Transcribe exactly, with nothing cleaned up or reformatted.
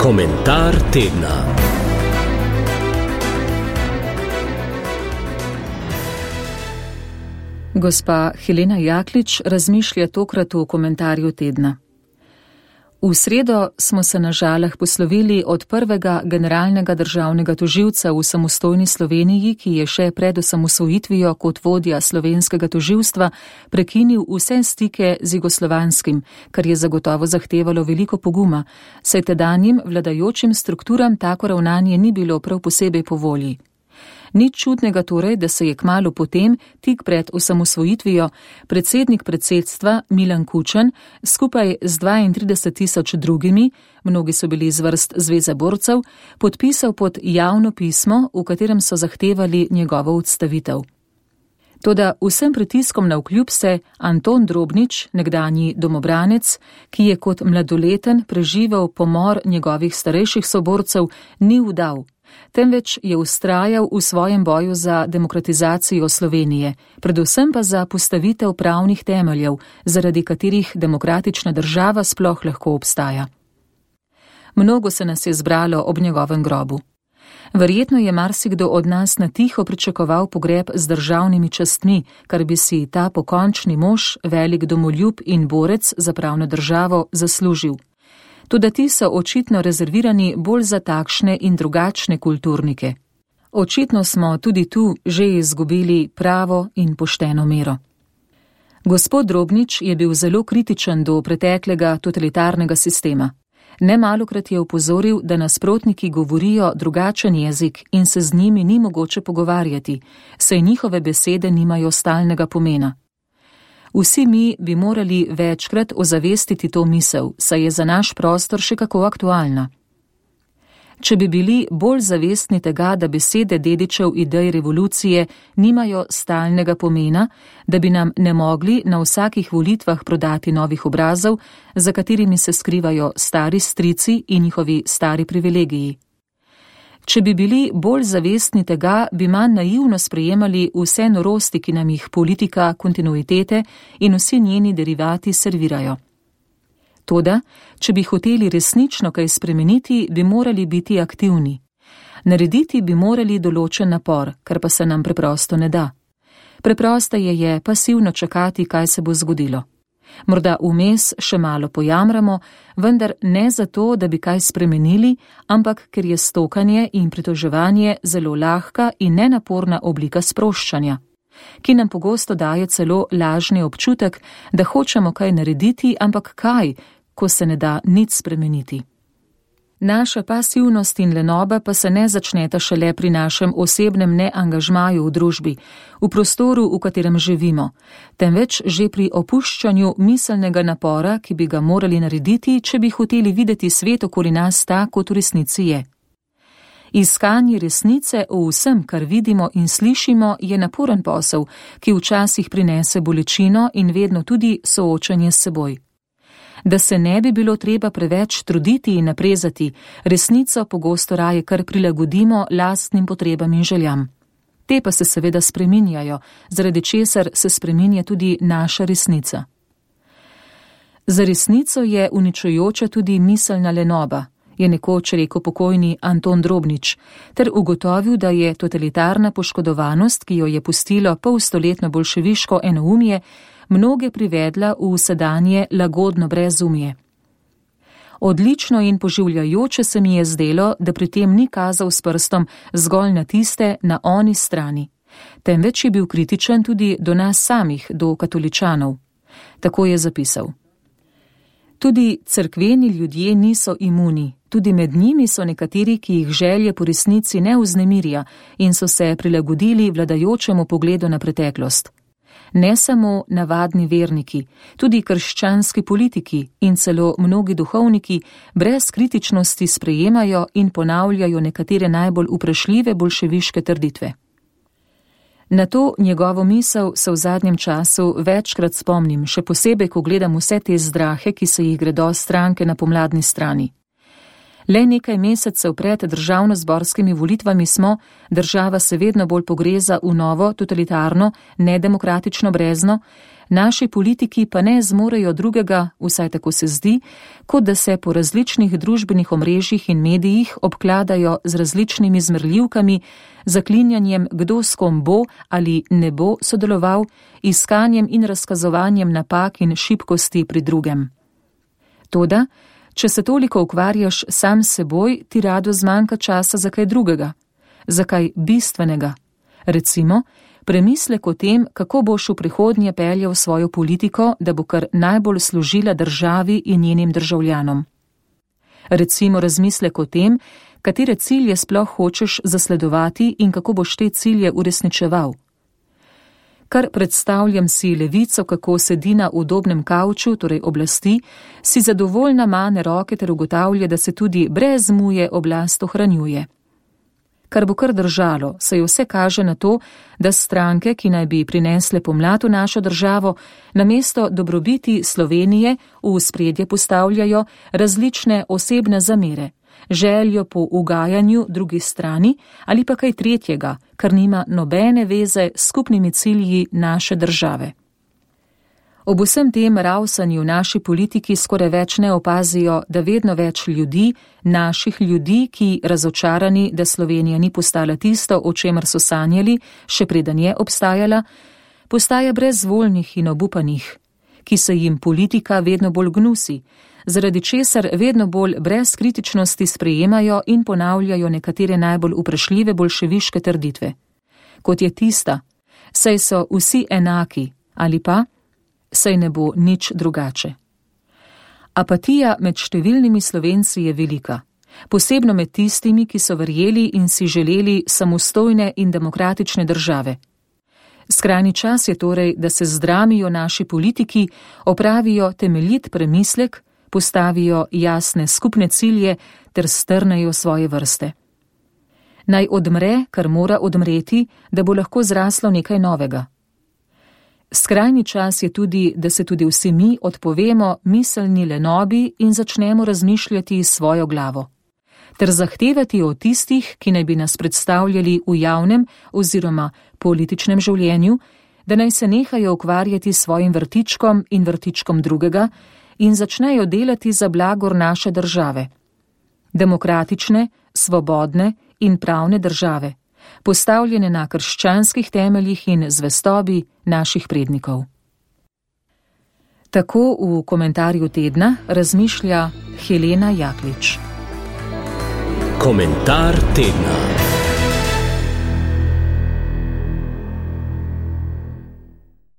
Komentar tedna. Gospa Helena Jaklič razmišlja tokrat v komentarju tedna. V sredo smo se na Žalah poslovili od prvega generalnega državnega tožilca v samostojni Sloveniji, ki je še pred osamosvojitvijo kot vodja slovenskega tožilstva prekinil vse stike z jugoslovanskim, kar je zagotovo zahtevalo veliko poguma, saj tedanjim vladajočim strukturam tako ravnanje ni bilo prav posebej po volji. Nič čudnega torej, da se je kmalu potem, tik pred osamosvojitvijo, predsednik predsedstva Milan Kučan skupaj z dvaintrideset tisoč drugimi, mnogi so bili iz vrst Zveze borcev, podpisal pod javno pismo, v katerem so zahtevali njegovo odstavitev. Toda vsem pritiskom navkljub se Anton Drobnič, nekdanji domobranec, ki je kot mladoleten preživel pomor njegovih starejših soborcev, ni vdal, temveč je vztrajal v svojem boju za demokratizacijo Slovenije, predvsem pa za postavitev pravnih temeljev, zaradi katerih demokratična država sploh lahko obstaja. Mnogo se nas je zbralo ob njegovem grobu. Verjetno je marsikdo od nas na tiho pričakoval pogreb z državnimi častmi, kar bi si ta pokončni mož, velik domoljub in borec za pravno državo zaslužil. Toda ti so očitno rezervirani bolj za takšne in drugačne kulturnike. Očitno smo tudi tu že izgubili pravo in pošteno mero. Gospod Drobnič je bil zelo kritičen do preteklega totalitarnega sistema. Nemalokrat je opozoril, da nasprotniki govorijo drugačen jezik in se z njimi ni mogoče pogovarjati, saj njihove besede nimajo stalnega pomena. Vsi mi bi morali večkrat ozavestiti to misel, saj je za naš prostor še kako aktualna. Če bi bili bolj zavestni tega, da besede dedičev idej revolucije nimajo stalnega pomena, da bi nam ne mogli na vsakih volitvah prodati novih obrazov, za katerimi se skrivajo stari strici in njihovi stari privilegiji. Če bi bili bolj zavestni tega, bi manj naivno sprejemali vse norosti, ki nam jih politika kontinuitete in vsi njeni derivati servirajo. Toda, če bi hoteli resnično kaj spremeniti, bi morali biti aktivni. Narediti bi morali določen napor, kar pa se nam preprosto ne da. Preprosteje je pasivno čakati, kaj se bo zgodilo. Morda vmes še malo pojamramo, vendar ne zato, da bi kaj spremenili, ampak ker je stokanje in pritoževanje zelo lahka in nenaporna oblika sproščanja, ki nam pogosto daje celo lažni občutek, da hočemo kaj narediti, ampak kaj, ko se ne da nič spremeniti. Naša pasivnost in lenoba pa se ne začneta šele pri našem osebnem neangažmaju v družbi, v prostoru, v katerem živimo, temveč že pri opuščanju miselnega napora, ki bi ga morali narediti, če bi hoteli videti svet okoli nas tak, kot v resnici je. Iskanje resnice o vsem, kar vidimo in slišimo, je naporen posel, ki včasih prinese bolečino in vedno tudi soočanje s seboj. Da se ne bi bilo treba preveč truditi in naprezati, resnico pogosto raje kar prilagodimo lastnim potrebam in željam. Te pa se seveda spreminjajo, zaradi česar se spreminja tudi naša resnica. Za resnico je uničujoča tudi miselna lenoba, je nekoč rekel pokojni Anton Drobnič, ter ugotovil, da je totalitarna poškodovanost, ki jo je pustilo polstoletno bolševiško enoumje, mnoge privedla v sedanje lagodno brezumje. Odlično in poživljajoče se mi je zdelo, da pri tem ni kazal s prstom zgolj na tiste na oni strani, temveč je bil kritičen tudi do nas samih, do katoličanov. Tako je zapisal. Tudi cerkveni ljudje niso imuni, tudi med njimi so nekateri, ki jih želje po resnici ne vznemirja in so se prilagodili vladajočemu pogledu na preteklost. Ne samo navadni verniki, tudi krščanski politiki in celo mnogi duhovniki brez kritičnosti sprejemajo in ponavljajo nekatere najbolj vprašljive bolševiške trditve. Na to njegovo misel se v zadnjem času večkrat spomnim, še posebej, ko gledam vse te zdrahe, ki se jih gredo stranke na pomladni strani. Le nekaj mesecev pred državnozborskimi volitvami smo, država se vedno bolj pogreza v novo, totalitarno, nedemokratično brezno, naši politiki pa ne zmorejo drugega, vsaj tako se zdi, kot da se po različnih družbenih omrežjih in medijih obkladajo z različnimi zmerljivkami, zaklinjanjem, kdo s kom bo ali ne bo sodeloval, iskanjem in razkazovanjem napak in šibkosti pri drugem. Toda, če se toliko ukvarjaš sam s seboj, ti rado zmanjka časa za kaj drugega, za kaj bistvenega. Recimo, premislek o tem, kako boš v prihodnje peljal svojo politiko, da bo kar najbolj služila državi in njenim državljanom. Recimo razmislek o tem, katere cilje sploh hočeš zasledovati in kako boš te cilje uresničeval. Kar predstavljam si levico, kako sedi na udobnem kavču, torej oblasti, si zadovoljna mane roke ter ugotavlja, da se tudi brez muje oblast ohranjuje. Kar bo kar držalo, saj vse kaže na to, da stranke, ki naj bi prinesle pomlad v našo državo, namesto dobrobiti Slovenije v ospredje postavljajo različne osebne zamere, željo po ugajanju drugi strani ali pa kaj tretjega, kar nima nobene veze s skupnimi cilji naše države. Ob vsem tem ravsanju naši politiki skoraj več ne opazijo, da vedno več ljudi, naših ljudi, ki razočarani, da Slovenija ni postala tisto, o čemer so sanjali, še preden je obstajala, postaja brezvoljnih in obupanih, ki se jim politika vedno bolj gnusi, zaradi česar vedno bolj brez kritičnosti sprejemajo in ponavljajo nekatere najbolj vprašljive bolševiške trditve. Kot je tista, saj so vsi enaki, ali pa saj ne bo nič drugače. Apatija med številnimi Slovenci je velika, posebno med tistimi, ki so verjeli in si želeli samostojne in demokratične države. Skrajni čas je torej, da se zdramijo naši politiki, opravijo temeljit premislek, postavijo jasne skupne cilje ter strnejo svoje vrste. Naj odmre, kar mora odmreti, da bo lahko zraslo nekaj novega. Skrajni čas je tudi, da se tudi vsi mi odpovemo miselni lenobi in začnemo razmišljati s svojo glavo, ter zahtevati od tistih, ki naj bi nas predstavljali v javnem oziroma političnem življenju, da naj se nehajo ukvarjati s svojim vrtičkom in vrtičkom drugega in začnejo delati za blagor naše države. Demokratične, svobodne in pravne države, postavljene na krščanskih temeljih in zvestobi naših prednikov. Tako v komentarju tedna razmišlja Helena Jaklič. Komentar tedna.